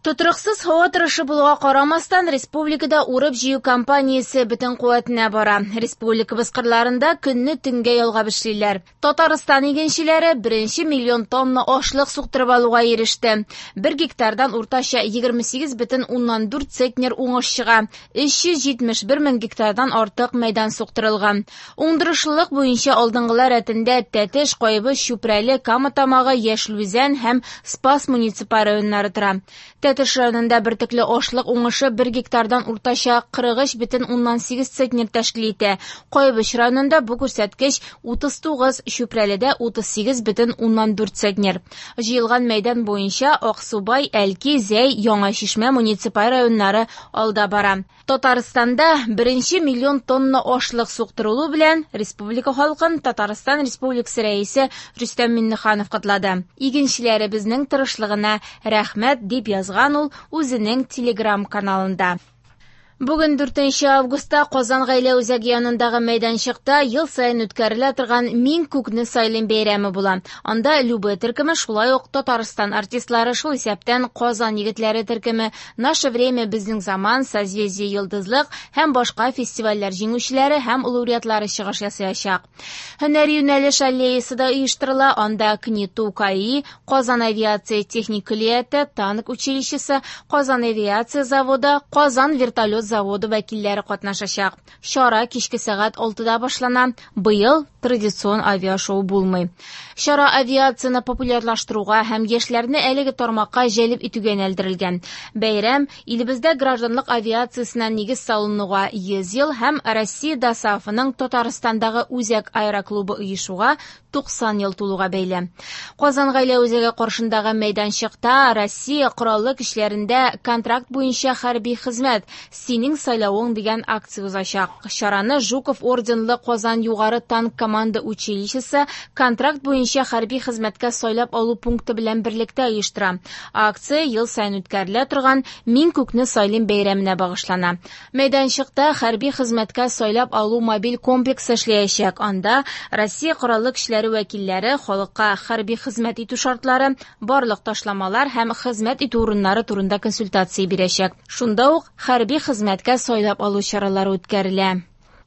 Тотрыксыз һава торышы булуга карамастан, республикада урып-җыю кампаниясе бөтен куәтенә бара. Республикабыз кырларында көнне төнгә ялгап эшлиләр. Татарстан игенчеләре беренче миллион тонна ашлык суктырып алуга иреште. Бер гектардан уртача 28,4 центнер уңыш чыга. 371 мең гектардан артык мәйдан суктырылган. Уңдырышлылык буенча алдынгылар рәтендә Тәтеш, Кайбыч, Чүпрәле, Кама Тамагы, Яшел Үзән һәм Спас муниципаль районнары тора. Тәтеш районында бөртекле ашлык уңышы бер гектардан уртача 43,8 центнер тәшкил итә. Кайбыч районында бу күрсәткеч 39, Чүпрәледә 38,4 центнер. Җыелган мәйдан буенча Аксубай, Әлки, Зәй, Яңа Чишмә муниципаль районнары алда бара. Татарстанда беренче миллион тонна ашлык суктырылу белән республика халкын Татарстан Республикасы Рәисе Рөстәм Миңнеханов котлады. Игенчеләребезнең тырышлыгына рәхмәт, дип язган ул үзенең Телеграм-каналында. Бүген 4 августта Казан гаилә үзәге янындагы мәйданчыкта ел саен үткәрелә торган Мин күкне сайлыйм бәйрәме була. Анда Любэ төркеме, шулай ук Татарстан артистлары, шул исәптән Казан егетләре төркеме, Наше время, Безнең заман, Созвездие Йолдызлык һәм башка фестивальләр җиңүчеләре һәм лауреатлары чыгыш ясаячак. Һөнәри юнәлеш аллеясы да оештырыла, анда КНИТУ КАИ, Казан авиация техник көллияте, танк училищесы, Казан авиация заводы, Казан вертолет заводы вәкилләре катнашачак. Чара кичке сәгать 6-да башлана. Быел традицион авиашоу булмый. Чара авиацияне популярлаштыруга һәм яшьләрне әлеге тармакка җәлеп итүгә юнәлдерелгән. Бәйрәм илебездә гражданлык авиациясенә нигез салынуга 100 ел һәм Россия ДОСААФының Татарстандагы үзәк аэроклубы оешуга 90 ел тулуга бәйле. Казан гаилә үзәге каршындагы мәйданчыкта Россия Кораллы көчләрендә контракт буенча хәрби хезмәт Синең сайлавың дигән акция узачак. Чараны Жуков орденлы Казан югары танк команда училищесы контракт буенча хәрби хезмәткә сайлап алу пункты белән берлектә оештыра. Акция ел саен үткәрелә торган Мин күкне сайлыйм бәйрәменә багышлана. Мәйданчыкта хәрби хезмәткә сайлап алу мобиль комплексы эшләячәк. Анда Россия Кораллы көчләре вәкилләре халыкка хәрби хезмәт итү шартлары, барлык ташламалар һәм хезмәт итү урыннары турында консультация бирәчәк. Шунда ук хәрби хезмәткә сайлап алу чаралары үткәрелә.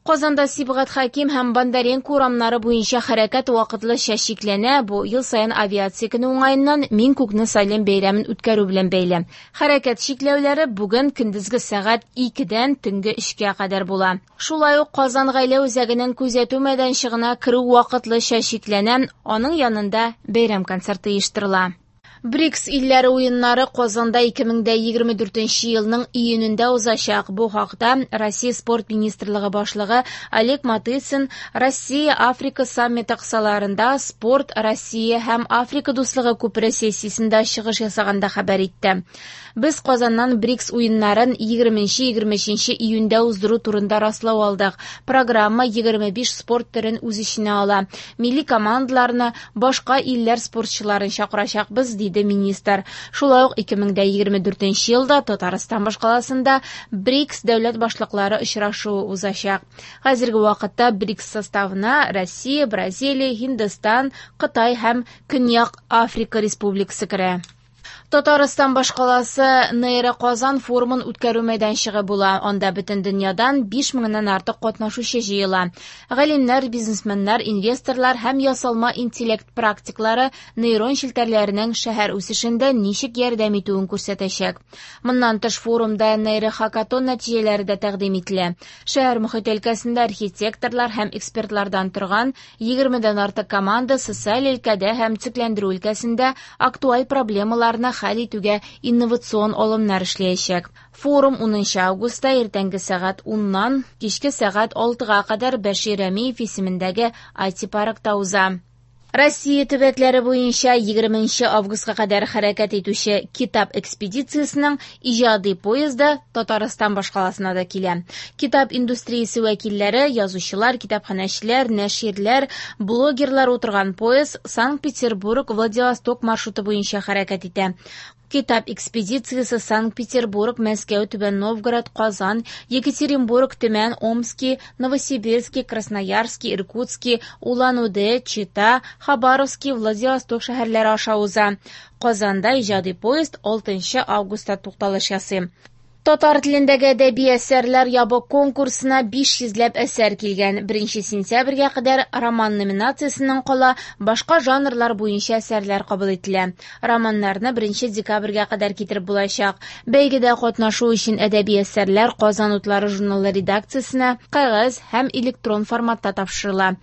Казанда Сибгат Хәким һәм Бондаренко урамнары буенча хәрәкәт вакытлыча чикләнә. Бу ел саен авиация көне уңаеннан Мин күкне сайлыйм бәйрәмен үткәрү белән бәйле. Хәрәкәт чикләүләре бүген көндезге сәгать 2-дән төнге 3-кә кадәр була. Шулай ук Казан гаилә үзәгенең күзәтү мәйданчыгына керү вакытлыча чикләнә. Аның янында бәйрәм концерты оештырыла. БРИКС илләре уеннары Казанда 2024 елның июнендә узачак. Бу хакта Россия спорт министрлыгы башлыгы Олег Матыцин Россия-Африка саммиты кысаларында Спорт Россия һәм Африка дуслыгы күпере сессиясендә чыгыш ясаганда хәбәр итте. Без Казаннан БРИКС уеннарын 20-23 июньдә уздыру турында раслау алдык. Программа 25 спорт төрен үз эченә ала. Милли командаларны, башка илләр спортчыларын чакырачакбыз, диде министр. Шулай ук 2024 елда Татарстан башкаласында БРИКС дәүләт башлыклары очрашуы узачак. Хәзерге вакытта БРИКС составына Россия, Бразилия, Һиндстан, Кытай һәм Көньяк Африка Республикасы керә. Татарстан башкаласы Нейро Казан форумын үткәрү мәйданчыгы була. Анда бөтен дөньядан 5 меңнән артык катнашучы җыела. Галимнәр, бизнесменнар, инвесторлар һәм ясалма интеллект практиклары нейрон челтәрләренең шәһәр үсешендә ничек ярдәм итүен күрсәтәчәк. Моннан тыш форумда нейрохакатон нәтиҗәләре дә тәкъдим ителә. Шәһәр мохите өлкәсендә архитекторлар һәм экспертлардан торган 20-дән артык команда социаль өлкәдә һәм төзекләндерү өлкәсендә актуаль проблемаларны хәл итүгә инновацион алымнар эшләячәк. Форум 10 августта иртәнге сәгать 10-нан кичке сәгать 6-га кадәр Бәшир Рәмиев исемендәге IT-паркта уза. Россия төбәкләре буенча 20 августка кадәр хәрәкәт итүче Китап экспедициясенең иҗади поезды Татарстан башкаласына да килә. Китап индустриясе вәкилләре, язучылар, китапханәчеләр, нәширләр, блогерлар утырган поезд Санкт-Петербург-Владивосток маршруты буенча хәрәкәт итә. Китап экспедициясе Санкт-Петербург, Мәскәү, Түбән Новгород, Казан, Екатеринбург, Төмән, Омски, Новосибирски, Красноярски, Иркутски, Улан-Удэ, Чита, Хабаровски, Владивосток шәһәрләре аша уза. Казанда иҗади поезд 6 августта тукталыш ясый. Татар телендәге әдәби әсәрләр ябык конкурсына 500 ләп әсәр килгән. 1 сентябрьгә кадәр роман номинациясеннән кала башка жанрлар буенча әсәрләр кабул ителә. Романнарны 1 декабрьгә кадәр китереп булачак. Бәйгедә катнашу өчен әдәби әсәрләр Казан утлары журналы редакциясенә кәгазь һәм электрон форматта тапшырыла.